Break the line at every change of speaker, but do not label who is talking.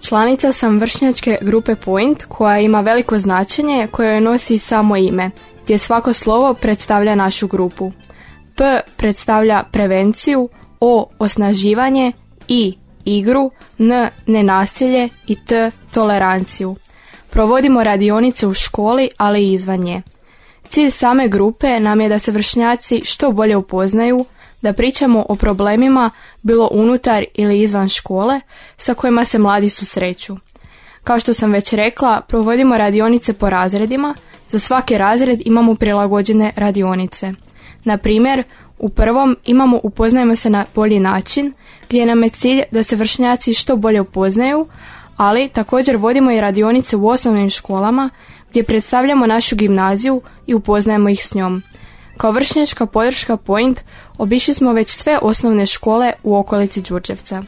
Članica sam vršnjačke grupe Point koja ima veliko značenje koje joj nosi samo ime, gdje svako slovo predstavlja našu grupu. P predstavlja prevenciju, O osnaživanje, I igru, N nenasilje i T toleranciju. Provodimo radionice u školi, ali i izvan nje. Cilj same grupe nam je da se vršnjaci što bolje upoznaju, da pričamo o problemima bilo unutar ili izvan škole sa kojima se mladi susreću. Kao što sam već rekla, provodimo radionice po razredima, za svaki razred imamo prilagođene radionice. Na primjer, u prvom imamo upoznajemo se na bolji način, gdje nam je cilj da se vršnjaci što bolje upoznaju, ali također vodimo i radionice u osnovnim školama gdje predstavljamo našu gimnaziju i upoznajemo ih s njom. Kao vršnjačka podrška Point obišli smo već sve osnovne škole u okolici Đurđevca.